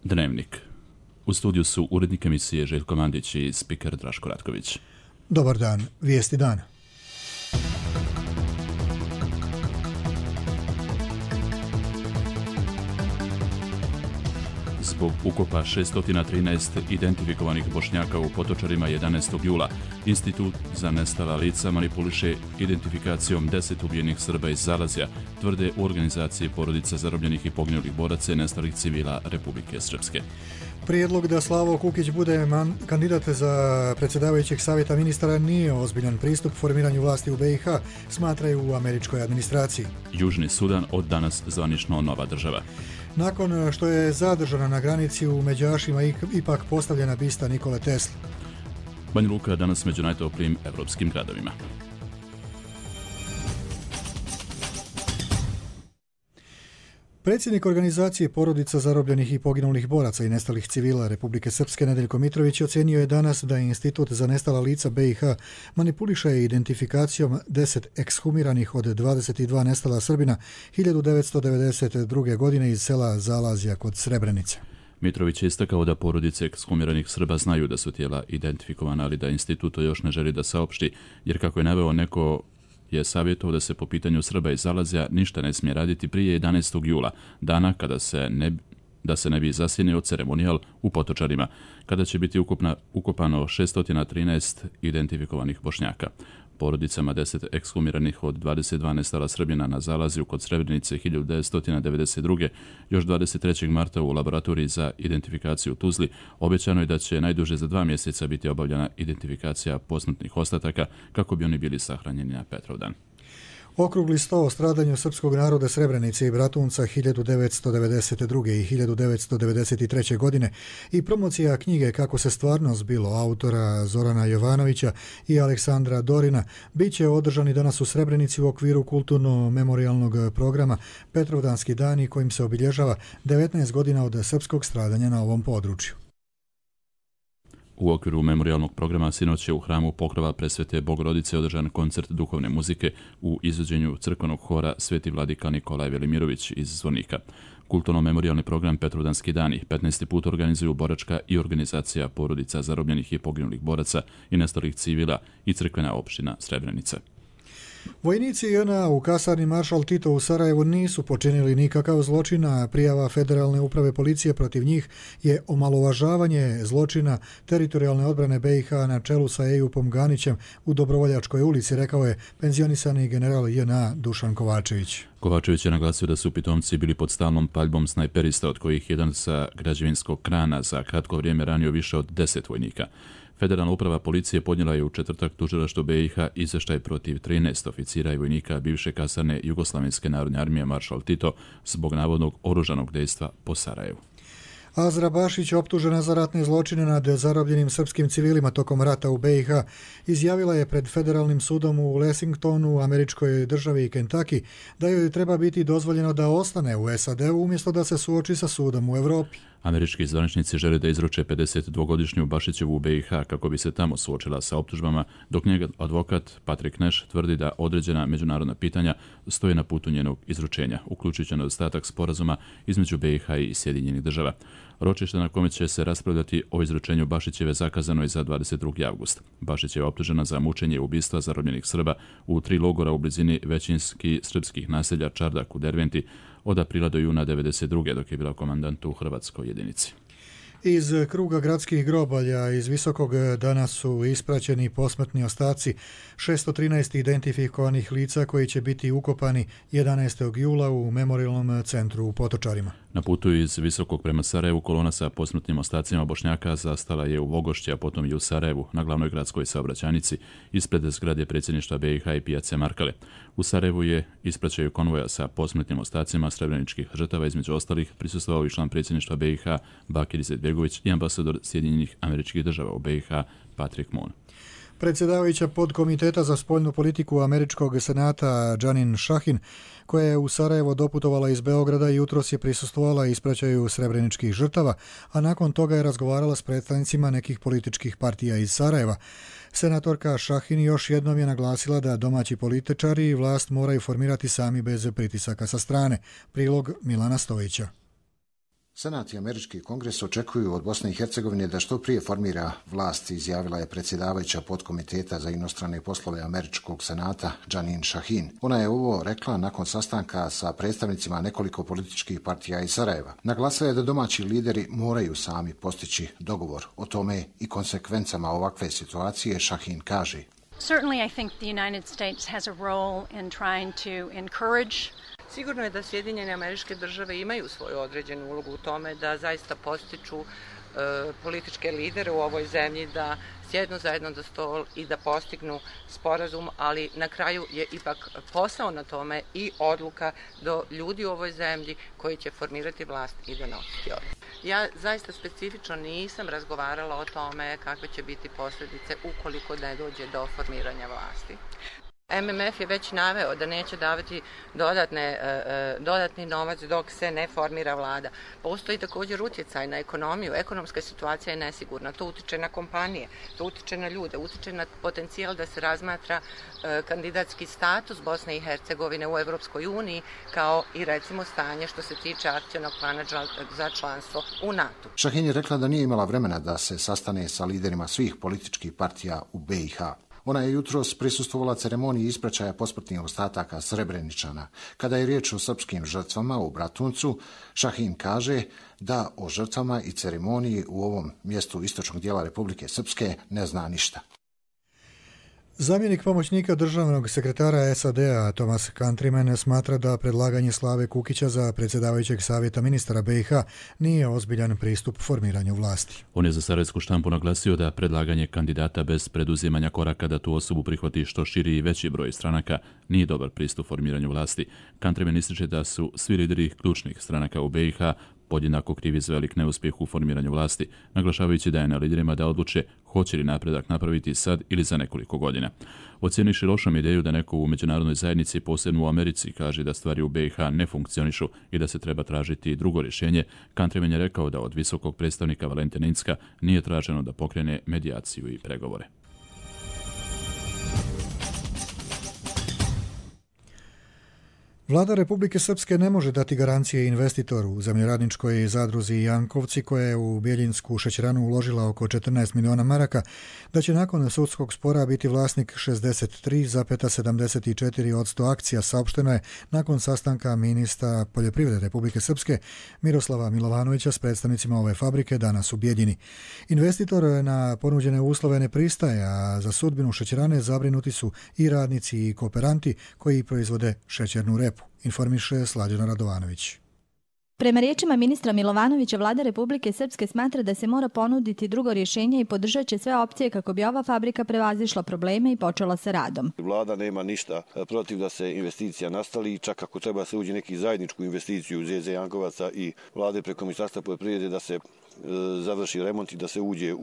Dnevnik. U studiju su urednik emisije Željko Mandić i spiker Draško Ratković. Dobar dan, vijesti dana. Zbog ukopa 613 identifikovanih Bošnjaka u Potočarima 11. jula, Institut za nestala lica manipuliše identifikacijom 10 ubijenih Srba iz Zalazja, tvrde u organizaciji porodica zarobljenih i poginulih boraca i nestalih civila Republike Srpske. Prijedlog da Slavo Kukić bude kandidat za predsjedavajućeg savjeta ministara nije ozbiljan pristup formiranju vlasti u BiH, smatraju u američkoj administraciji. Južni Sudan od danas zvanično nova država. Nakon što je zadržana na granici u Međašima ipak postavljena bista Nikole Tesle. Banja Luka danas među najtoplijim evropskim gradovima. Predsjednik organizacije porodica zarobljenih i poginulih boraca i nestalih civila Republike Srpske Nedeljko Mitrović ocenio je danas da Institut za nestala lica BiH manipuliše identifikacijom 10 ekshumiranih od 22 nestala Srbina 1992. godine iz sela Zalazja kod Srebrenice. Mitrović je istakao da porodice ekshumiranih Srba znaju da su tijela identifikovana, ali da institut to još ne želi da saopšti, jer kako je naveo neko je savjetovao da se po pitanju Srba iz Zalazja ništa ne smije raditi prije 11. jula, dana kada se ne bi zasjenio ceremonijal u Potočarima, kada će biti ukopano 613 identifikovanih Bošnjaka. Porodicama 10 ekshumiranih od 22 nestala Srbina na Zalazju kod Srebrenice 1992. još 23. marta u laboratoriji za identifikaciju u Tuzli obećano je da će najduže za 2 mjeseca biti obavljena identifikacija posmrtnih ostataka kako bi oni bili sahranjeni na Petrovdan. Okrugli sto o stradanju srpskog naroda Srebrenice i Bratunca 1992. i 1993. godine i promocija knjige Kako se stvarno zbilo autora Zorana Jovanovića i Aleksandra Dorina bit će održani danas u Srebrenici u okviru kulturno-memorijalnog programa Petrovdanski dani kojim se obilježava 19 godina od srpskog stradanja na ovom području. U okviru memorijalnog programa sinoć je u hramu Pokrova Presvete Bogorodice održan koncert duhovne muzike u izvođenju crkvenog hora Sveti vladika Nikolaj Velimirović iz Zvornika. Kulturno-memorijalni program Petrovdanski dani 15. put organizuju boračka i organizacija porodica zarobljenih i poginulih boraca i nestalih civila i crkvena opština Srebrenica. Vojnici JNA u kasarni Maršal Tito u Sarajevu nisu počinili nikakav zločin, a prijava Federalne uprave policije protiv njih je omalovažavanje zločina teritorijalne odbrane BiH na čelu sa Ejupom Ganićem u Dobrovoljačkoj ulici, rekao je penzionisani general JNA Dušan Kovačević. Kovačević je naglasio da su pitomci bili pod stalnom paljbom snajperista, od kojih jedan sa građevinskog krana za kratko vrijeme ranio više od 10 vojnika. Federalna uprava policije podnijela je u četvrtak tužilaštvu BiH izvještaj protiv 13 oficira i vojnika bivše kasarne Jugoslavenske narodne armije Maršal Tito zbog navodnog oružanog dejstva po Sarajevu. Azra Bašić, optužena za ratne zločine nad zarobljenim srpskim civilima tokom rata u BiH, izjavila je pred federalnim sudom u Lexingtonu, američkoj državi Kentucky, da joj treba biti dozvoljeno da ostane u SAD-u umjesto da se suoči sa sudom u Evropi. Američki zvaničnici žele da izruče 52-godišnju Bašićevu u BiH kako bi se tamo suočila sa optužbama, dok njega advokat Patrick Nash tvrdi da određena međunarodna pitanja stoje na putu njenog izručenja, uključujući nedostatak sporazuma između BiH i Sjedinjenih država. Ročište na kome će se raspravljati o izručenju Bašićeve zakazano je za 22. avgust. Bašić je optužena za mučenje i ubistva zarobljenih Srba u 3 logora u blizini većinski srpskih naselja Čardak u Derventi od aprila do juna 1992. dok je bila komandant u hrvatskoj jedinici. Iz kruga gradskih grobalja iz Visokog danas su ispraćeni posmrtni ostaci 613 identifikovanih lica koji će biti ukopani 11. jula u memorijalnom centru u Potočarima. Na putu iz Visokog prema Sarajevu kolona sa posmrtnim ostacima Bošnjaka zastala je u Vogošći, a potom i u Sarajevu, na glavnoj gradskoj saobraćajnici, ispred zgrade predsjedništva BiH i pijace Markale. U Sarajevu je ispraćaju konvoja sa posmrtnim ostacima srebreničkih žrtava, između ostalih prisustvovao i član predsjedništva BiH Bakir Izetbegović i ambasador Sjedinjenih Američkih Država u BiH Patrick Moon. Predsjedavajuća podkomiteta za spoljnu politiku Američkog senata Janine Shahin, koja je u Sarajevo doputovala iz Beograda, jutros je prisustvovala ispraćaju srebreničkih žrtava, a nakon toga je razgovarala s predstavnicima nekih političkih partija iz Sarajeva. Senatorka Shahin još jednom je naglasila da domaći političari i vlast moraju formirati sami bez pritisaka sa strane. Prilog Milana Stojića. Senat i Američki kongres očekuju od Bosne i Hercegovine da što prije formira vlast, izjavila je predsjedavajuća podkomiteta za inostrane poslove Američkog senata Janine Shahin. Ona je ovo rekla nakon sastanka sa predstavnicima nekoliko političkih partija iz Sarajeva. Naglasila je da domaći lideri moraju sami postići dogovor o tome i konsekvencama ovakve situacije. Shahin kaže: Certainly I think the United States has a role in trying to encourage. Sigurno je da Sjedinjene Američke Države imaju svoju određenu ulogu u tome da zaista postiču političke lidere u ovoj zemlji da sjednu zajedno za stol i da postignu sporazum, ali na kraju je ipak posao na tome i odluka do ljudi u ovoj zemlji koji će formirati vlast i donositi odluku. Ja zaista specifično nisam razgovarala o tome kakve će biti posljedice ukoliko ne dođe do formiranja vlasti. MMF je već naveo da neće davati dodatni novac dok se ne formira vlada. Postoji također utjecaj na ekonomiju. Ekonomska situacija je nesigurna. To utiče na kompanije, to utiče na ljude, utiče na potencijal da se razmatra kandidatski status Bosne i Hercegovine u Europskoj uniji, kao i recimo stanje što se tiče akcionog plana za članstvo u NATO. Shahin je rekla da nije imala vremena da se sastane sa liderima svih političkih partija u BiH. Ona je jutros prisustvovala ceremoniji ispraćaja posmrtnih ostataka Srebreničana. Kada je riječ o srpskim žrtvama u Bratuncu, Shahin kaže da o žrtvama i ceremoniji u ovom mjestu istočnog dijela Republike Srpske ne zna ništa. Zamjenik pomoćnika državnog sekretara SAD-a Thomas Countryman smatra da predlaganje Slave Kukića za predsjedavajućeg savjeta ministara BiH nije ozbiljan pristup formiranju vlasti. On je za sarajevsku štampu naglasio da predlaganje kandidata bez preduzimanja koraka da tu osobu prihvati što širi i veći broj stranaka nije dobar pristup formiranju vlasti. Countryman ističe da su svi lideri ključnih stranaka u BiH podjednako krivi za velik neuspjeh u formiranju vlasti, naglašavajući da je na liderima da odluče hoće li napredak napraviti sad ili za nekoliko godina. Ocjeniši lošom ideju da neko u međunarodnoj zajednici, posebno u Americi, kaže da stvari u BiH ne funkcionišu i da se treba tražiti drugo rješenje, Countryman je rekao da od visokog predstavnika Valentina Incka nije traženo da pokrene medijaciju i pregovore. Vlada Republike Srpske ne može dati garancije investitoru u zemljoradničkoj zadruzi Jankovci, koja je u Bjeljinsku šećeranu uložila oko 14 miliona maraka, da će nakon sudskog spora biti vlasnik 63,74% akcija, saopšteno je nakon sastanka ministra poljoprivrede Republike Srpske Miroslava Milovanovića s predstavnicima ove fabrike danas u Bjeljini. Investitor na ponuđene uslove ne pristaje, a za sudbinu šećerane zabrinuti su i radnici i kooperanti koji proizvode šećernu repu, informiše Slađana Radovanović. Prema riječima ministra Milovanovića, vlada Republike Srpske smatra da se mora ponuditi drugo rješenje i podržat će sve opcije kako bi ova fabrika prevazišla probleme i počela sa radom. Vlada nema ništa protiv da se investicija nastavi i čak ako treba se uđe neki zajedničku investiciju u ZZ Jankovaca i vlade preko Ministarstva poljoprivrede da se završi remont i da se uđe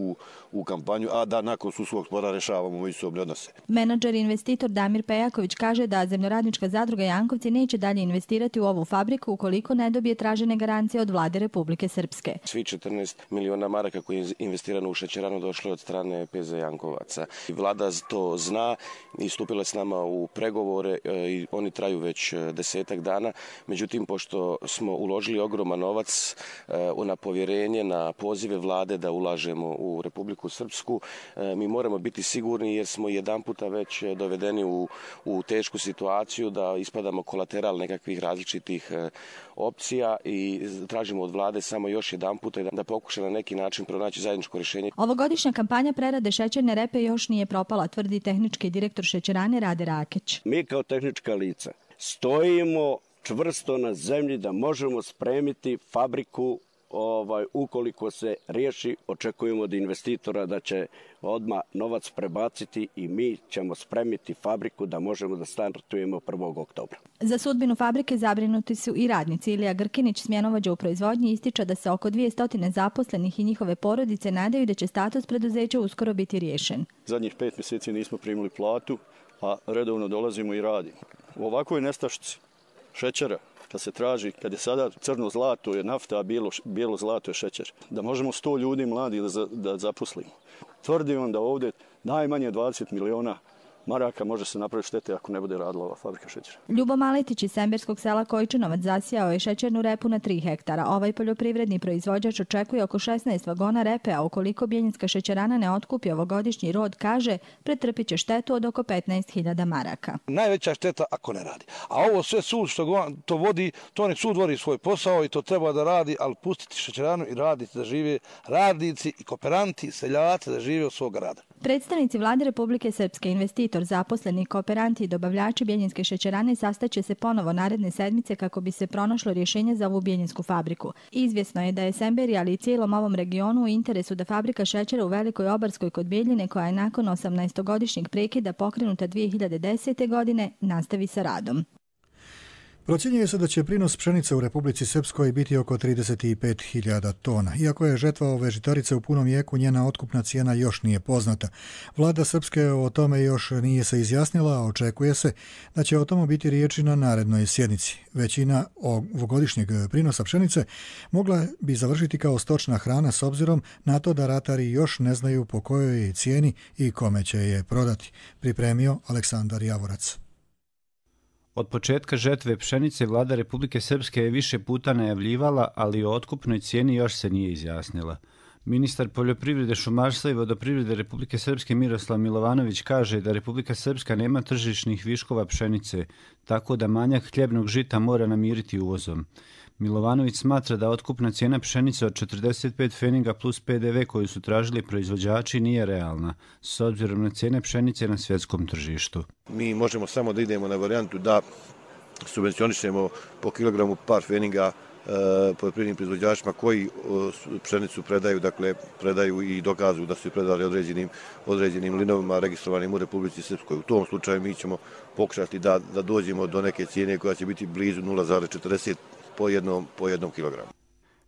u kampanju, a da nakon sudskog spora rešavamo međusobne odnose. Menadžer i investitor Damir Pejaković kaže da zemljoradnička zadruga Jankovci neće dalje investirati u ovu fabriku ukoliko ne dobije tražene garancije od vlade Republike Srpske. Svi 14 miliona maraka koji je investirano u šećeranu došlo od strane PZ Jankovaca. Vlada to zna i stupila s nama u pregovore i oni traju već 10 dana. Međutim, pošto smo uložili ogroman novac na povjerenje, na pozive vlade da ulažemo u Republiku Srpsku, mi moramo biti sigurni jer smo jedan puta već dovedeni u tešku situaciju da ispadamo kolateral nekakvih različitih opcija i tražimo od vlade samo još jedan puta da pokuša na neki način pronaći zajedničko rješenje. Ovogodišnja kampanja prerade šećerne repe još nije propala, tvrdi tehnički direktor šećerane Rade Rakić. Mi kao tehnička lica stojimo čvrsto na zemlji da možemo spremiti fabriku ukoliko se riješi. Očekujemo od investitora da će odmah novac prebaciti i mi ćemo spremiti fabriku da možemo da startujemo 1. oktobra. Za sudbinu fabrike zabrinuti su i radnici. Ilija Grkinić, smjenovođa u proizvodnji, ističe da se oko 200 zaposlenih i njihove porodice nadaju da će status preduzeća uskoro biti riješen. Zadnjih 5 mjeseci nismo primili platu, a redovno dolazimo i radimo. U ovakvoj nestašici šećera, kad se traži, kad je sada crno zlato je nafta, a bijelo zlato je šećer, da možemo 100 ljudi mladi da zaposlimo. Tvrdim vam da ovdje najmanje 20 miliona maraka može se napraviti štete ako ne bude radila ova fabrika šećera. Ljubo Maletić iz semberskog sela Kojčinovac zasijao je šećernu repu na 3 hektara. Ovaj poljoprivredni proizvođač očekuje oko 16 vagona repe, a ukoliko Bjeljinska šećerana ne otkupi ovogodišnji rod, kaže, pretrpit će štetu od oko 15.000 maraka. Najveća šteta ako ne radi. A ovo sve sud što to vodi, to nek sud vodi svoj posao i to treba da radi, ali pustiti šećeranu i raditi da žive radnici i kooperanti, seljaci da žive od svog rada. Predstavnici Vlade Republike Srpske, investitor, zaposleni, kooperanti i dobavljači Bjeljinske šećerane sastaće se ponovo naredne sedmice kako bi se pronašlo rješenje za ovu bjeljinsku fabriku. Izvjesno je da je Semberija, ali i cijelom ovom regionu u interesu da fabrika šećera u Velikoj Obarskoj kod Bjeljine, koja je nakon 18-godišnjeg prekida pokrenuta 2010. godine, nastavi sa radom. Procjenjuje se da će prinos pšenice u Republici Srpskoj biti oko 35.000 tona. Iako je žetva ove žitarice u punom jeku, njena otkupna cijena još nije poznata. Vlada Srpske o tome još nije se izjasnila, a očekuje se da će o tomu biti riječi na narednoj sjednici. Većina ovogodišnjeg prinosa pšenice mogla bi završiti kao stočna hrana s obzirom na to da ratari još ne znaju po kojoj je cijeni i kome će je prodati. Pripremio Aleksandar Javorac. Od početka žetve pšenice Vlada Republike Srpske je više puta najavljivala, ali o otkupnoj cijeni još se nije izjasnila. Ministar poljoprivrede, šumarstva i vodoprivrede Republike Srpske Miroslav Milovanović kaže da Republika Srpska nema tržišnih viškova pšenice, tako da manjak hljebnog žita mora namiriti uvozom. Milovanović smatra da otkupna cijena pšenice od 45 pfeniga plus PDV koju su tražili proizvođači nije realna, s obzirom na cijene pšenice na svjetskom tržištu. Mi možemo samo da idemo na varijantu da subvencionišemo po kilogramu par pfeniga poljoprivrednim proizvođačima koji pšenicu predaju, dakle predaju i dokazuju da su predali određenim linovima registrovanim u Republici Srpskoj. U tom slučaju mi ćemo pokušati da dođemo do neke cijene koja će biti blizu 0,40 po jednom kilogramu.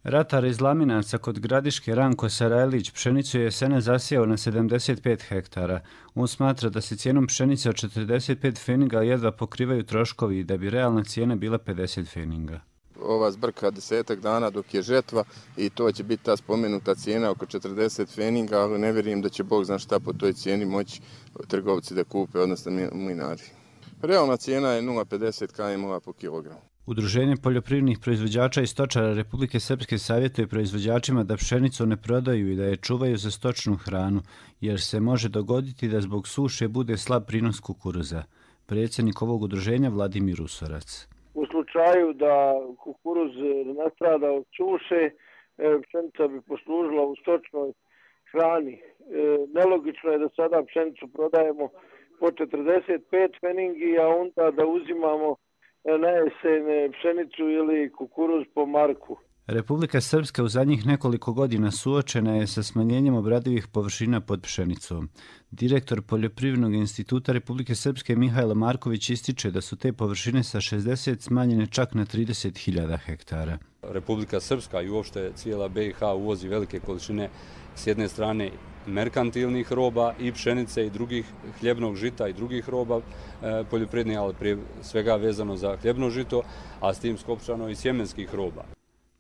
Ratar iz Laminaca kod Gradiške Ranko Sarajlić pšenicu je jesene zasijao na 75 hektara. On smatra da se cijenom pšenice od 45 pfeniga jedva pokrivaju troškovi i da bi realna cijena bila 50 pfeniga. Ova zbrka 10 dana dok je žetva i to će biti ta spomenuta cijena oko 40 pfeniga, ali ne vjerujem da će Bog zna šta po toj cijeni moći trgovci da kupe, odnosno mlinari. Realna cijena je 0,50 km po kilogramu. Udruženje poljoprivrednih proizvođača i stočara Republike Srpske savjetuje proizvođačima da pšenicu ne prodaju i da je čuvaju za stočnu hranu, jer se može dogoditi da zbog suše bude slab prinos kukuruza. Predsjednik ovog udruženja Vladimir Usorac. U slučaju da kukuruz nastrada od suše, pšenica bi poslužila u stočnoj hrani. Nelogično je da sada pšenicu prodajemo po 45 pfenigi, a onda da uzimamo na jesen pšenicu ili kukuruz po marku. Republika Srpska u zadnjih nekoliko godina suočena je sa smanjenjem obradivih površina pod pšenicom. Direktor Poljoprivrednog instituta Republike Srpske Mihajlo Marković ističe da su te površine sa 60 smanjene čak na 30.000 hektara. Republika Srpska i uopšte cijela BiH uvozi velike količine s jedne strane merkantilnih roba i pšenice i drugih hljebnog žita i drugih roba poljoprivrednih, ali prije svega vezano za hljebno žito, a s tim skopčano i sjemenskih roba.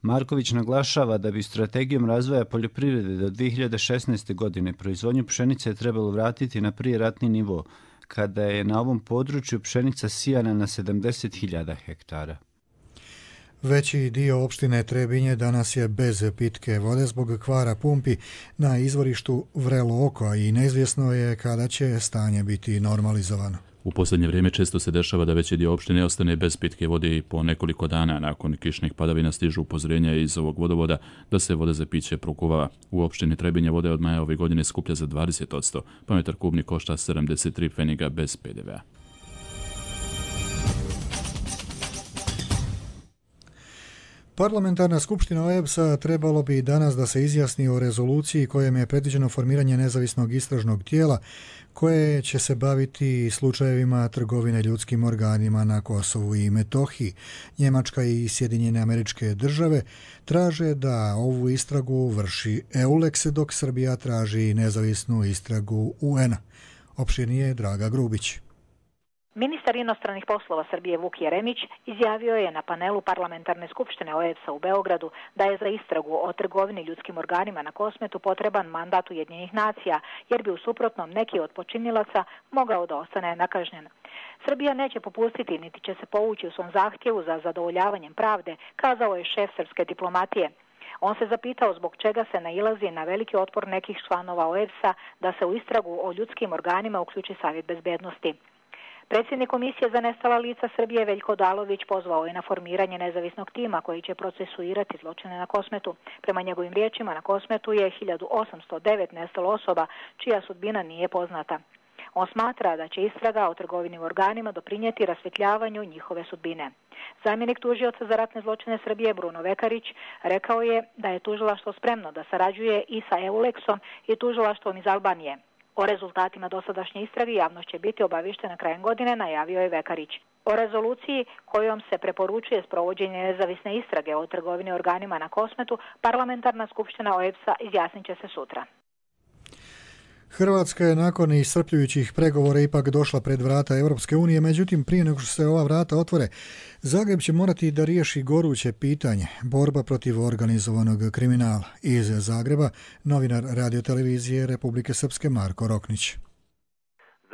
Marković naglašava da bi strategijom razvoja poljoprivrede do 2016. godine proizvodnju pšenice trebalo vratiti na prijeratni nivo, kada je na ovom području pšenica sijana na 70.000 hektara. Veći dio opštine Trebinje danas je bez pitke vode zbog kvara pumpi na izvorištu Vrelo oko i neizvjesno je kada će stanje biti normalizovano. U posljednje vrijeme često se dešava da veći dio opštine ostane bez pitke vode i po nekoliko dana nakon kišnih padavina stižu upozorenja iz ovog vodovoda da se voda za piće prokuvava. U opštini Trebinje vode od maja ove godine skuplja za 20%, pa metar kubni košta 73 pfeniga bez PDV-a. Parlamentarna skupština OEBS-a trebalo bi danas da se izjasni o rezoluciji kojom je predviđeno formiranje nezavisnog istražnog tijela koje će se baviti slučajevima trgovine ljudskim organima na Kosovu i Metohiji. Njemačka i Sjedinjene Američke Države traže da ovu istragu vrši EULEX, dok Srbija traži nezavisnu istragu UN-a. Opširnije Draga Grubić. Ministar inostranih poslova Srbije Vuk Jeremić izjavio je na panelu Parlamentarne skupštine OEBS-a u Beogradu da je za istragu o trgovini ljudskim organima na Kosmetu potreban mandat Ujedinjenih nacija, jer bi u suprotnom neki od počinilaca mogao da ostane nekažnjen. Srbija neće popustiti niti će se povući u svom zahtjevu za zadovoljavanjem pravde, kazao je šef srpske diplomatije. On se zapitao zbog čega se nailazi na veliki otpor nekih članova OEBS-a da se u istragu o ljudskim organima uključi Savjet bezbednosti. Predsjednik Komisije za nestala lica Srbije Veljko Odalović pozvao je na formiranje nezavisnog tima koji će procesuirati zločine na Kosmetu. Prema njegovim riječima, na Kosmetu je 1809 nestalo osoba čija sudbina nije poznata. On smatra da će istraga o trgovini organima doprinijeti rasvjetljavanju njihove sudbine. Zamjenik tužioca za ratne zločine Srbije Bruno Vekarić rekao je da je tužilaštvo spremno da sarađuje i sa EULEX-om i tužilaštvom iz Albanije. O rezultatima dosadašnje istrage javnost će biti obavještena krajem godine, najavio je Vekarić. O rezoluciji kojom se preporučuje sprovođenje nezavisne istrage o trgovini organima na Kosmetu, Parlamentarna skupština OEBS-a izjasnit će se sutra. Hrvatska je nakon iscrpljujućih pregovora ipak došla pred vrata Europske unije, međutim prije nego što se ova vrata otvore, Zagreb će morati da riješi goruće pitanje, borba protiv organizovanog kriminala. Iz Zagreba, novinar radiotelevizije Republike Srpske Marko Roknić.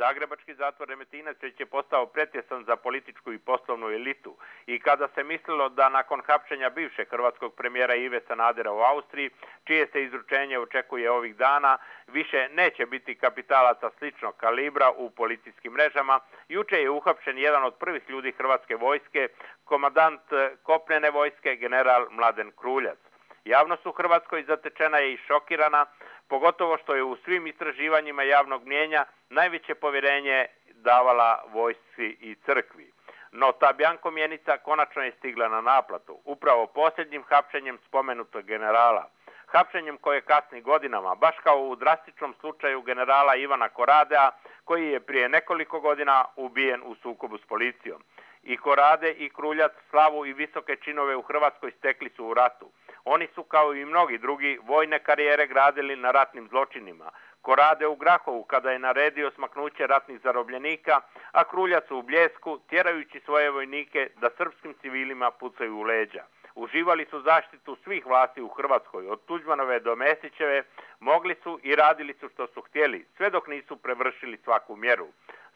Zagrebački zatvor Remetinec već je postao pretjesan za političku i poslovnu elitu i kada se mislilo da nakon hapšenja bivšeg hrvatskog premijera Ive Sanadera u Austriji, čije se izručenje očekuje ovih dana, više neće biti kapitalaca sličnog kalibra u policijskim mrežama, juče je uhapšen jedan od prvih ljudi hrvatske vojske, komandant kopnene vojske general Mladen Kruljac. Javnost u Hrvatskoj zatečena je i šokirana, pogotovo što je u svim istraživanjima javnog mnijenja najveće povjerenje davala vojsci i crkvi. No ta bjanko mjenica konačno je stigla na naplatu, upravo posljednjim hapšenjem spomenutog generala. Hapšenjem koje kasni godinama, baš kao u drastičnom slučaju generala Ivana Koradea, koji je prije nekoliko godina ubijen u sukobu s policijom. I Korade i Kruljac slavu i visoke činove u Hrvatskoj stekli su u ratu. Oni su, kao i mnogi drugi, vojne karijere gradili na ratnim zločinima. Korade u Grahovu kada je naredio smaknuće ratnih zarobljenika, a Kruljac u Bljesku tjerajući svoje vojnike da srpskim civilima pucaju u leđa. Uživali su zaštitu svih vlasti u Hrvatskoj, od Tuđmanove do Mesićeve, mogli su i radili su što su htjeli, sve dok nisu prevršili svaku mjeru.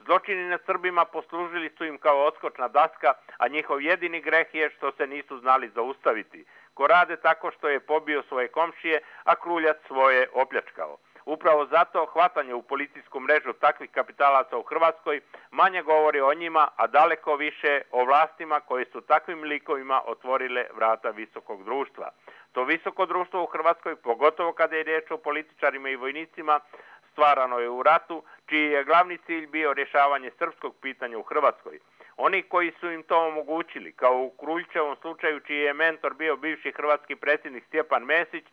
Zločini nad Srbima poslužili su im kao odskočna daska, a njihov jedini greh je što se nisu znali zaustaviti. Korade tako što je pobio svoje komšije, a Kruljac svoje opljačkao. Upravo zato hvatanje u policijsku mrežu takvih kapitalaca u Hrvatskoj manje govori o njima, a daleko više o vlastima koje su takvim likovima otvorile vrata visokog društva. To visoko društvo u Hrvatskoj, pogotovo kada je riječ o političarima i vojnicima, stvarano je u ratu, čiji je glavni cilj bio rješavanje srpskog pitanja u Hrvatskoj. Oni koji su im to omogućili, kao u Kruljčevom slučaju čiji je mentor bio bivši hrvatski predsjednik Stjepan Mesić,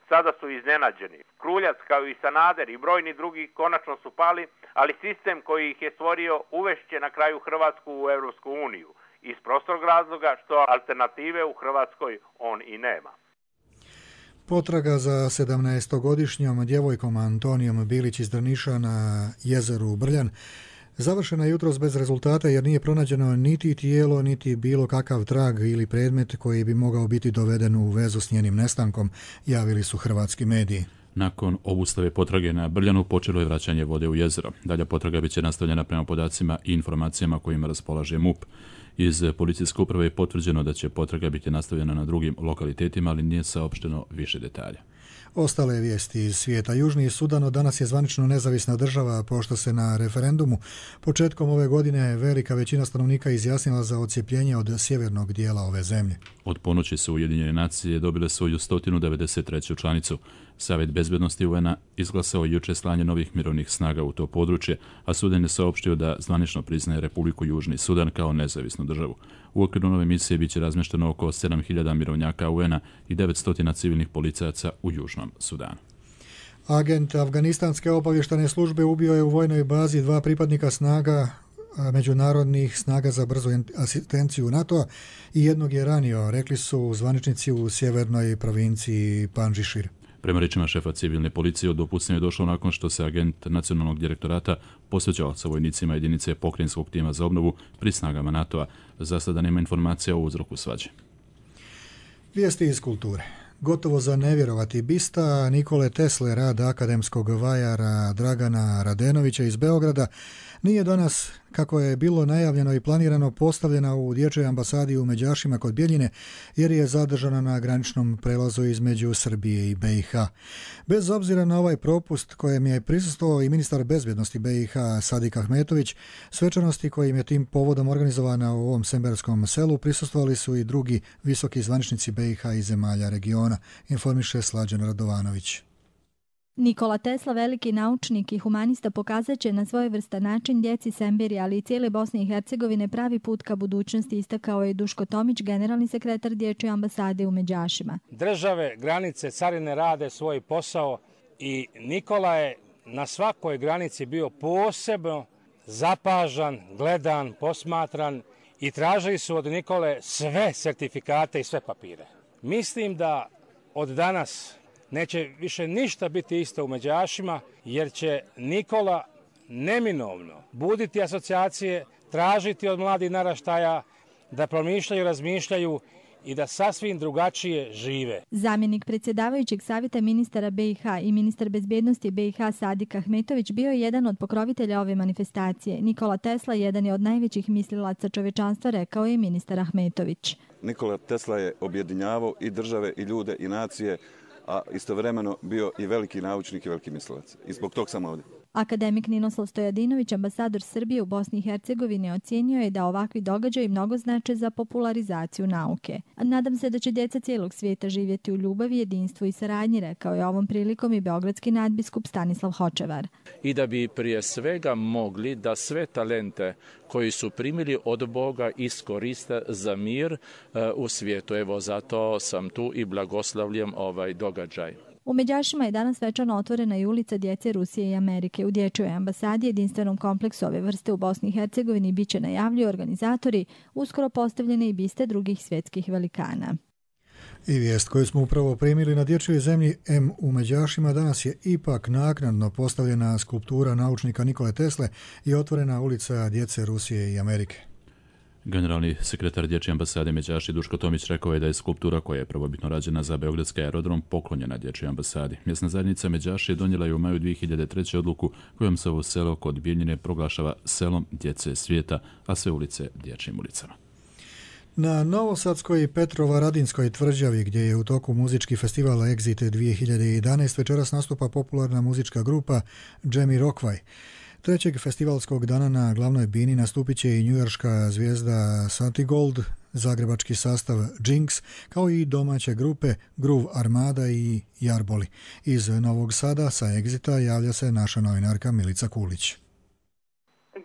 sada su iznenađeni. Kruljac, kao i Sanader i brojni drugi konačno su pali, ali sistem koji ih je stvorio uvešće na kraju Hrvatsku u Europsku uniju. Iz prostog razloga što alternative u Hrvatskoj on i nema. Potraga za 17-godišnjom djevojkom Antonijom Bilić iz Drniša na jezeru Brljan završena je jutros bez rezultata jer nije pronađeno niti tijelo, niti bilo kakav trag ili predmet koji bi mogao biti doveden u vezu s njenim nestankom, javili su hrvatski mediji. Nakon obustave potrage na Brljanu počelo je vraćanje vode u jezero. Dalja potraga biće nastavljena prema podacima i informacijama kojima raspolaže MUP. Iz policijske uprave je potvrđeno da će potraga biti nastavljena na drugim lokalitetima, ali nije saopšteno više detalja. Ostale vijesti iz svijeta. Južni Sudan od danas je zvanično nezavisna država, pošto se na referendumu početkom ove godine velika većina stanovnika izjasnila za odcijepljenje od sjevernog dijela ove zemlje. Od ponoći su Ujedinjene nacije dobile svoju 193. članicu. Savjet bezbednosti UN-a izglasao juče slanje novih mirovnih snaga u to područje, a Sudan je saopštio da zvanično priznaje Republiku Južni Sudan kao nezavisnu državu. U okviru nove misije biće razmješteno oko 7.000 mirovnjaka UN-a i 900 civilnih policajaca u Južnom Sudanu. Agent afganistanske obavještajne službe ubio je u vojnoj bazi 2 pripadnika snaga međunarodnih snaga za brzu asistenciju NATO-a i jednog je ranio, rekli su zvaničnici u sjevernoj provinciji Pandžišir. Prema rečima šefa civilne policije, do pucnja je došlo nakon što se agent nacionalnog direktorata posvećao sa vojnicima jedinice pokrajinskog tima za obnovu pri snagama NATO-a. Za sada nema informacija o uzroku svađe. Vijesti iz kulture. Gotovo za nevjerovati bista Nikole Tesle, rad akademskog vajara Dragana Radenovića iz Beograda, nije danas, kako je bilo najavljeno i planirano, postavljena u dječjoj ambasadi u Međašima kod Bjeljine, jer je zadržana na graničnom prelazu između Srbije i BiH. Bez obzira na ovaj propust kojem je prisustvovao i ministar bezbjednosti BiH Sadik Ahmetović, svečanosti kojim je tim povodom organizovana u ovom semberskom selu prisustvovali su i drugi visoki zvaničnici BiH i zemalja regiona, informiše Slađan Radovanović. Nikola Tesla, veliki naučnik i humanista, pokazat će na svojevrstan način djeci Semberija, ali i cijele Bosne i Hercegovine pravi put ka budućnosti, istakao je Duško Tomić, generalni sekretar dječje ambasade u Međašima. Države, granice, carine rade svoj posao i Nikola je na svakoj granici bio posebno zapažan, gledan, posmatran i tražili su od Nikole sve sertifikate i sve papire. Mislim da od danas neće više ništa biti isto u Međašima, jer će Nikola neminovno buditi asocijacije, tražiti od mladih naraštaja da promišljaju, razmišljaju i da sasvim drugačije žive. Zamjenik predsjedavajućeg savjeta ministara BiH i ministar bezbjednosti BiH Sadik Ahmetović bio je jedan od pokrovitelja ove manifestacije. Nikola Tesla jedan je od najvećih mislilaca čovečanstva, rekao je ministar Ahmetović. Nikola Tesla je objedinjavao i države i ljude i nacije, a istovremeno bio i veliki naučnik i veliki mislilac. I zbog tog sam ovdje. Akademik Ninoslav Stojadinović, ambasador Srbije u Bosni i Hercegovini, ocijenio je da ovakvi događaji mnogo znače za popularizaciju nauke. Nadam se da će djeca cijelog svijeta živjeti u ljubavi, jedinstvu i saradnji, rekao je ovom prilikom i beogradski nadbiskup Stanislav Hočevar. I da bi prije svega mogli da sve talente koji su primili od Boga iskoriste za mir u svijetu. Evo, zato sam tu i blagoslavljam ovaj događaj. U Međašima je danas svečano otvorena i ulica djece Rusije i Amerike. U dječjoj ambasadi, jedinstvenom kompleksu ove vrste u Bosni i Hercegovini, bit će, najavljuju organizatori, uskoro postavljene i biste drugih svjetskih velikana. I vijest koju smo upravo primili: na dječjoj zemlji M u Međašima danas je ipak naknadno postavljena skulptura naučnika Nikole Tesle i otvorena ulica djece Rusije i Amerike. Generalni sekretar dječje ambasade Međaši Duško Tomić rekao je da je skulptura koja je prvobitno rađena za beogradski aerodrom poklonjena dječjoj ambasadi. Mjesna zajednica Međaši je donijela je u maju 2003. odluku kojom se ovo selo kod Bijeljine proglašava selom djece svijeta, a sve ulice dječjim ulicama. Na Novosadskoj Petrovaradinskoj tvrđavi, gdje je u toku muzički festival Exit 2011, večeras nastupa popularna muzička grupa Jamie Rockvaj. Trećeg festivalskog dana na glavnoj bini nastupit će i njujorška zvijezda Santigold, zagrebački sastav Jinx, kao i domaće grupe Groove Armada i Jarboli. Iz Novog Sada sa Exita javlja se naša novinarka Milica Kulić.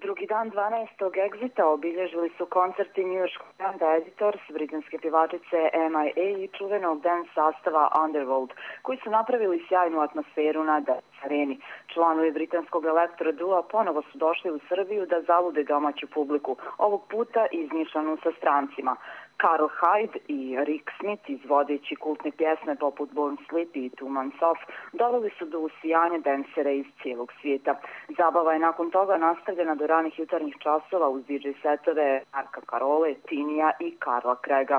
Drugi dan 12. Exita obilježili su koncerti njujorškog benda Editors, britanske pjevačice MIA i čuvenog dance sastava Underworld, koji su napravili sjajnu atmosferu na Dance Areni. Članovi britanskog elektro dua ponovo su došli u Srbiju da zalude domaću publiku, ovog puta izmiješanu sa strancima. Carl Hyde i Rick Smith, izvodeći kultne pjesme poput Born Sleepy i Two Months Off, doveli su do usijanja dansera iz cijelog svijeta. Zabava je nakon toga nastavljena do ranih jutarnjih časova uz DJ setove Marka Karole, Tinija i Karla Krega.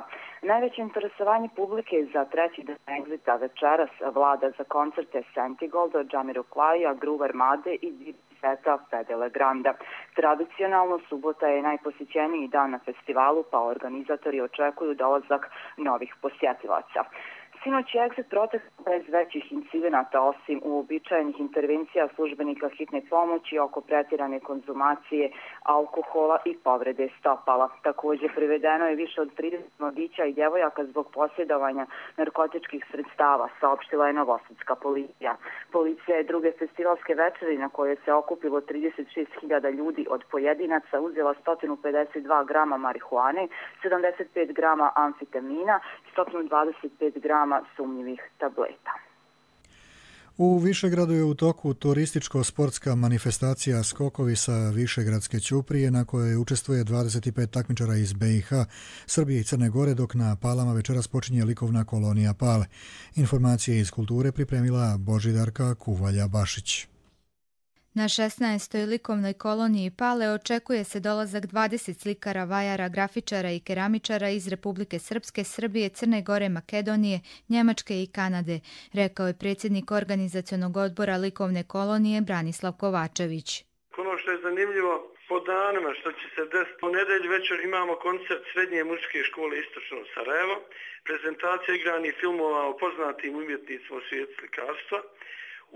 Najveće interesovanje publike za treći dan Exita večeras vlada za koncerte Santigolda, Jamiroquaija, Groove Armade i seta Fede Le Granda. Tradicionalno subota je najposjećeniji dan na festivalu, pa organizatori očekuju dolazak novih posjetilaca. Sinoć je Exit protekao bez većih incidenata, osim uobičajenih intervencija službenika hitne pomoći oko pretjerane konzumacije alkohola i povrede stopala. Također privedeno je više od 30 mladića i djevojaka zbog posjedovanja narkotičkih sredstava, saopštila je novosadska policija. Policija je druge festivalske večeri na koje se okupilo 36.000 ljudi od pojedinaca uzela 152 grama marihuane, 75 grama amfetamina i 125 grama sumnjivih tableta. U Višegradu je u toku turističko-sportska manifestacija Skokovi sa Višegradske ćuprije na kojoj učestvuje 25 takmičara iz BiH, Srbije i Crne Gore, dok na Palama večeras počinje likovna kolonija Pale. Informacije iz kulture pripremila Božidarka Kuvalja-Bašić. Na 16. likovnoj koloniji Pale očekuje se dolazak 20 slikara, vajara, grafičara i keramičara iz Republike Srpske, Srbije, Crne Gore, Makedonije, Njemačke i Kanade, rekao je predsjednik organizacionog odbora likovne kolonije Branislav Kovačević. Ono što je zanimljivo po danima što će se desiti, po nedelju večer imamo koncert Srednje muzičke škole Istočno Sarajevo, prezentacija igranih filmova o poznatim umjetnicima u svijetu slikarstva.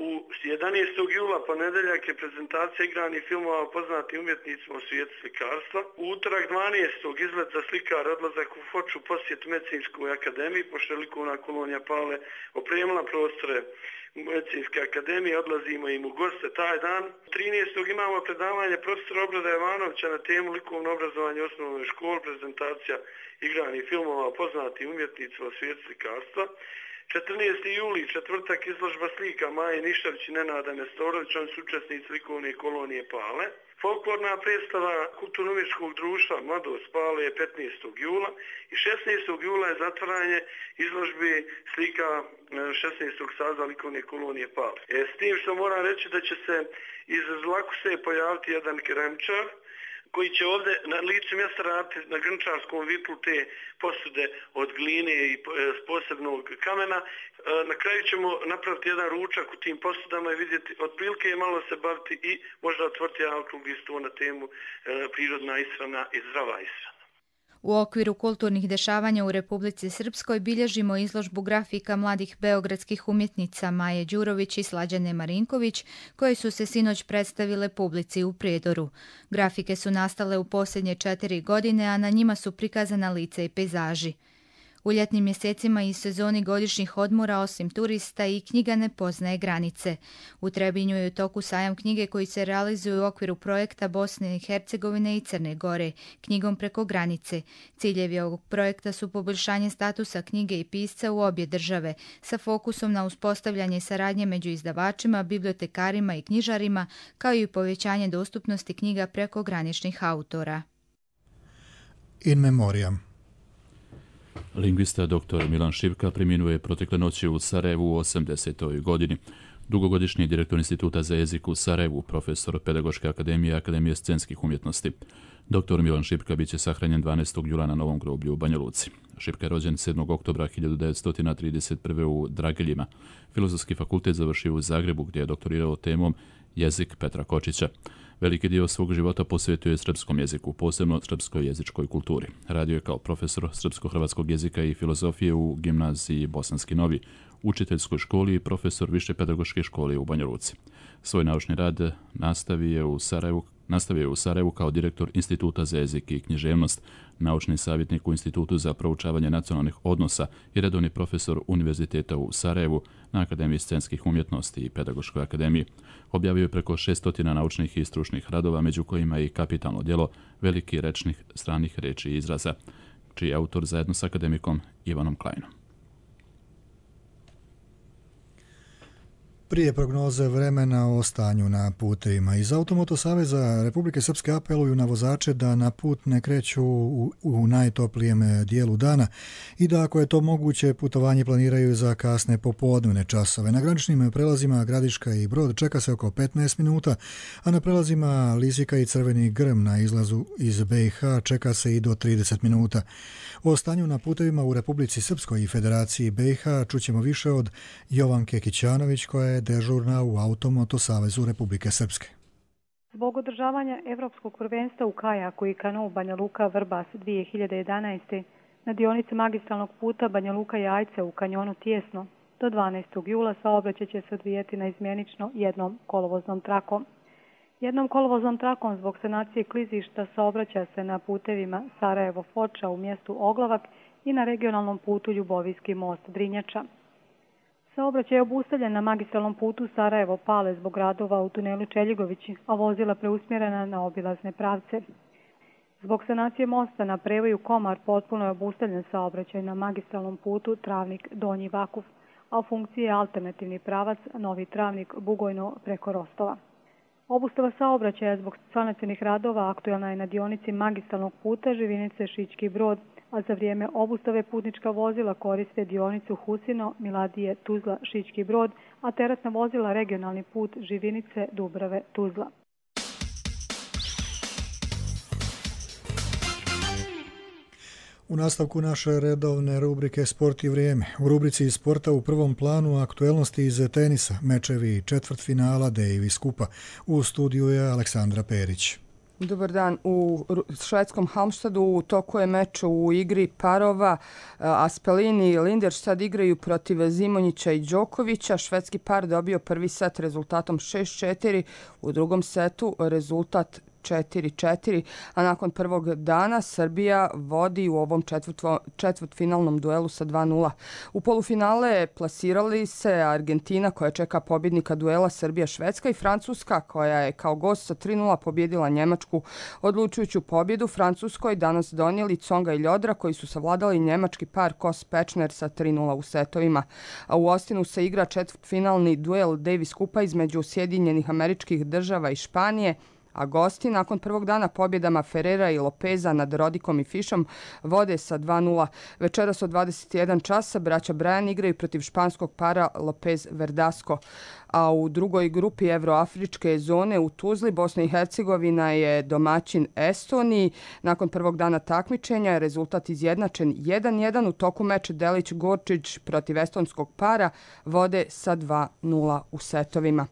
U 11. jula ponedeljak je prezentacija igranih filmova o poznatim umjetnicima u svijetu slikarstva. U utorak 12. izlet za slikar, odlazak u Foču, posjet Medicinskoj akademiji, pošto je likovna kolonija Pale opremila prostore Medicinske akademije, odlazimo im u goste taj dan. 13. imamo predavanje profesora Obrada Jovanovića na temu likovno obrazovanje u osnovnoj školi, prezentacija igranih filmova o poznatim umjetnicima u svijetu slikarstva. 14. juli, četvrtak, izložba slika Maje Ništavić i Nenada Nestorović, oni su učesnici likovne kolonije Pale. Folklorna predstava Kulturno-umjetničkog društva Mladost Pale je 15. jula i 16. jula je zatvaranje izložbi slika 16. saziva likovne kolonije Pale. S tim što moram reći da će se iz Zlakuse pojaviti jedan keramičar koji će ovdje na licu mjesta raditi na grnčarskom vitlu te posude od gline i posebnog kamena. Na kraju ćemo napraviti jedan ručak u tim posudama i vidjeti, otprilike malo se baviti i možda otvoriti jedan okrugli stol na temu prirodna ishrana i zdrava ishrana. U okviru kulturnih dešavanja u Republici Srpskoj bilježimo izložbu grafika mladih beogradskih umjetnica Maje Đurović i Slađane Marinković, koje su se sinoć predstavile publici u Prijedoru. Grafike su nastale u posljednje 4 godine, a na njima su prikazana lica i pejzaži. U ljetnim mjesecima i sezoni godišnjih odmora, osim turista, i knjiga ne poznaje granice. U Trebinju je u toku sajam knjige koji se realizuje u okviru projekta Bosne i Hercegovine i Crne Gore, knjigom preko granice. Ciljevi ovog projekta su poboljšanje statusa knjige i pisca u obje države, sa fokusom na uspostavljanje saradnje među izdavačima, bibliotekarima i knjižarima, kao i povećanje dostupnosti knjiga preko graničnih autora. In memoriam. Lingvista dr. Milan Šipka preminuo je protekle noći u Sarajevu u 80. godini. Dugogodišnji direktor Instituta za jezik u Sarajevu, profesor Pedagoške akademije i Akademije scenskih umjetnosti. Dr. Milan Šipka biće sahranjen 12. jula na Novom groblju u Banja Luci. Šipka je rođen 7. oktobra 1931. u Drageljima. Filozofski fakultet završio u Zagrebu, gdje je doktorirao temom jezik Petra Kočića. Veliki dio svog života posvetio je srpskom jeziku, posebno srpskoj jezičkoj kulturi. Radio je kao profesor srpsko-hrvatskog jezika i filozofije u gimnaziji Bosanski Novi, učiteljskoj školi i profesor više pedagoške škole u Banja Luci. Svoj naučni rad nastavio je u Sarajevu kao direktor Instituta za jezik i književnost, naučni savjetnik u Institutu za proučavanje nacionalnih odnosa i redovni profesor Univerziteta u Sarajevu na Akademiji scenskih umjetnosti i Pedagoškoj akademiji. Objavio je preko 600 naučnih i stručnih radova, među kojima i kapitalno djelo Veliki rečnih stranih reči i izraza, čiji je autor zajedno s akademikom Ivanom Klajnom. Prije prognoze vremena o stanju na putevima. Iz Automoto Saveza Republike Srpske apeluju na vozače da na put ne kreću u najtoplijem dijelu dana i da, ako je to moguće, putovanje planiraju za kasne popodnevne časove. Na graničnim prelazima Gradiška i Brod čeka se oko 15 minuta, a na prelazima Lizika i Crveni Grm na izlazu iz BiH čeka se i do 30 minuta. O stanju na putevima u Republici Srpskoj i Federaciji BiH čućemo više od Jovanke Kićanović, koja je dežurna u Automoto Savezu Republike Srpske. Zbog održavanja Evropskog prvenstva u kajaku i kanu Banja Luka Vrbas 2011. na dionici magistralnog puta Banja Luka Jajce u kanjonu Tijesno do 12. jula saobraćaj će se odvijati naizmjenično jednom kolovoznom trakom. Jednom kolovoznom trakom zbog sanacije klizišta saobraća se na putevima Sarajevo-Foča u mjestu Oglavak i na regionalnom putu Ljubovijski most Drinjača. Saobraćaj je obustavljen na magistralnom putu Sarajevo-Pale zbog radova u tunelu Čeljigovići, a vozila preusmjerena na obilazne pravce. Zbog sanacije mosta na prevoju Komar potpuno je obustavljen saobraćaj na magistralnom putu Travnik-Donji Vakuf, a u funkciji je alternativni pravac Novi Travnik-Bugojno preko Rostova. Obustava saobraćaja zbog sanacionih radova aktuelna je na dionici magistralnog puta Živinice-Šićki Brod, a za vrijeme obustave putnička vozila koriste dionicu Husino, Miladije, Tuzla, Šićki Brod, a teretna vozila regionalni put Živinice, Dubrave, Tuzla. U nastavku naše redovne rubrike Sport i vrijeme. U rubrici iz sporta u prvom planu aktuelnosti iz tenisa, mečevi četvrtfinala Davis Kupa. U studiju je Aleksandra Perić. Dobar dan. U švedskom Halmstadu u toku je meč u igri parova. Aspelini i Linderstad igraju protiv Zimonjića i Đokovića. Švedski par dobio prvi set rezultatom 6-4. U drugom setu rezultat 4-4, a nakon prvog dana Srbija vodi u ovom četvrtfinalnom duelu sa 2-0. U polufinale plasirali se Argentina koja čeka pobjednika duela Srbija-Švedska i Francuska koja je kao gost sa 3-0 pobjedila Njemačku. Odlučujuću pobjedu Francuskoj danas donijeli Tsonga i Ljodra koji su savladali njemački par Kos-Pečner sa 3-0 u setovima. A u Ostinu se igra četvrtfinalni duel Davis Kupa između Sjedinjenih Američkih Država i Španije, a gosti nakon prvog dana pobjedama Ferrera i Lopeza nad Rodikom i Fišom vode sa 2-0. Večeras od 21 časa braća Bryan igraju protiv španskog para Lopez-Verdasco. A u drugoj grupi Evroafričke zone u Tuzli Bosna i Hercegovina je domaćin Estoniji. Nakon prvog dana takmičenja je rezultat izjednačen 1-1. U toku meča Delić-Gorčić protiv estonskog para vode sa 2-0 u setovima.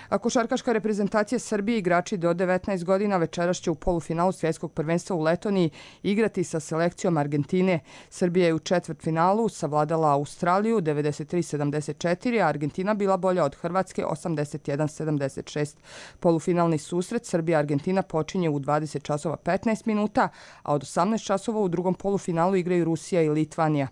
A košarkaška reprezentacija Srbije igrači do 19 godina večeras će u polufinalu svjetskog prvenstva u Letoniji igrati sa selekcijom Argentine. Srbija je u četvrtfinalu savladala Australiju 93-74, a Argentina bila bolja od Hrvatske 81-76. Polufinalni susret Srbija-Argentina počinje u 20 časova 15 minuta, a od 18 časova u drugom polufinalu igraju Rusija i Litvanija.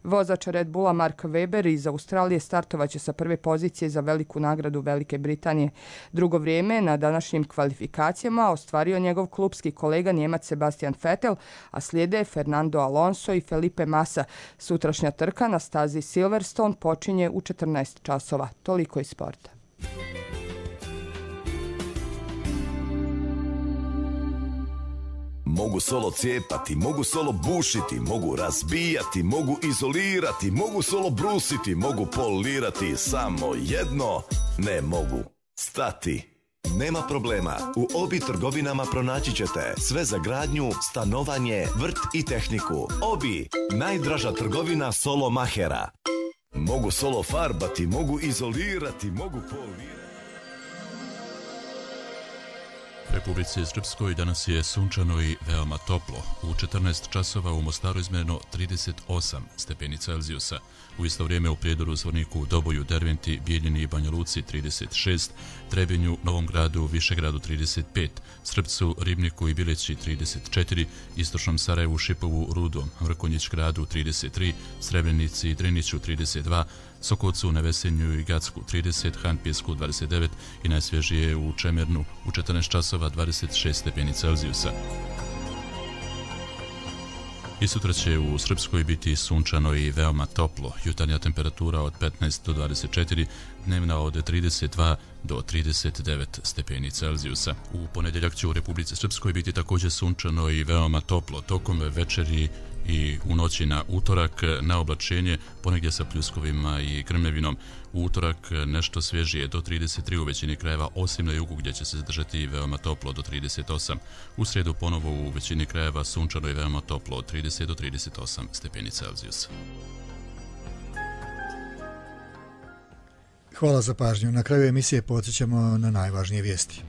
Vozač Red Bulla Mark Webber iz Australije startovaće sa prve pozicije za veliku nagradu Velike Britanije. Drugo vrijeme na današnjim kvalifikacijama ostvario njegov klupski kolega Njemac Sebastian Vettel, a slijede Fernando Alonso i Felipe Massa. Sutrašnja trka na stazi Silverstone počinje u 14 časova. Toliko iz sporta. Mogu solo cijepati, mogu solo bušiti, mogu razbijati, mogu izolirati, mogu solo brusiti, mogu polirati, samo jedno ne mogu stati. Nema problema, u Obi trgovinama pronaći ćete sve za gradnju, stanovanje, vrt i tehniku. Obi, najdraža trgovina solo mahera. Mogu solo farbati, mogu izolirati, mogu polirati. U Republici Srpskoj danas je sunčano i veoma toplo. U 14 časova u Mostaru izmjereno 38 stepeni Celzijusa. U isto vrijeme u Prijedoru, Zvorniku, Doboju, Derventi, Bijeljini i Banja Luci 36, Trebinju, Novom Gradu, Višegradu 35, Srpcu, Ribniku i Bileći 34, Istočnom Sarajevu, Šipovu, Rudom, Mrkonjić Gradu 33, Srebrenici i Driniću 32, Sokocu, Nevesenju i Gacku 30, Hanpjesku 29 i najsvježije u Čemernu u 14 časova 26 stepeni Celzijusa. I sutra će u Srpskoj biti sunčano i veoma toplo. Jutarnja temperatura od 15 do 24, dnevna od 32 do 39 stepeni Celzijusa. U ponedjeljak će u Republici Srpskoj biti također sunčano i veoma toplo. Tokom večeri i u noći na utorak na oblačenje, ponegdje sa pljuskovima i grmljevinom. U utorak nešto svježije do 33 u većini krajeva, osim na jugu gdje će se zadržati veoma toplo do 38. U srijedu ponovo u većini krajeva sunčano i veoma toplo od 30 do 38 stepeni Celzijusa. Hvala za pažnju. Na kraju emisije podsjećamo na najvažnije vijesti.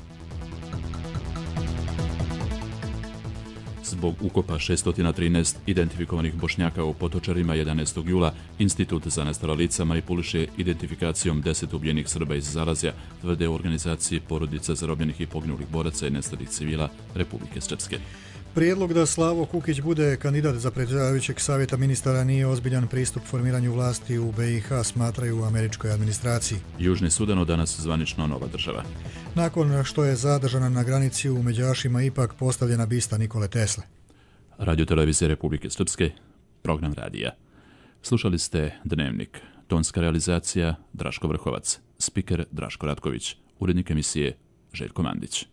Zbog ukopa 613 identifikovanih Bošnjaka u Potočarima 11. jula, Institut za nestala lica manipuliše identifikacijom 10 ubijenih Srba iz Zalazja, tvrde u organizaciji Porodica zarobljenih i poginulih boraca i nestalih civila Republike Srpske. Prijedlog da Slavo Kukić bude kandidat za predsjedavajućeg savjeta ministara nije ozbiljan pristup formiranju vlasti u BiH, smatraju u američkoj administraciji. Južni Sudan od danas zvanično nova država. Nakon što je zadržana na granici u Međašima ipak postavljena bista Nikole Tesle. Radio televizije Republike Srpske, program radija. Slušali ste Dnevnik. Tonska realizacija Draško Vrhovac, spiker Draško Ratković, urednik emisije Željko Mandić.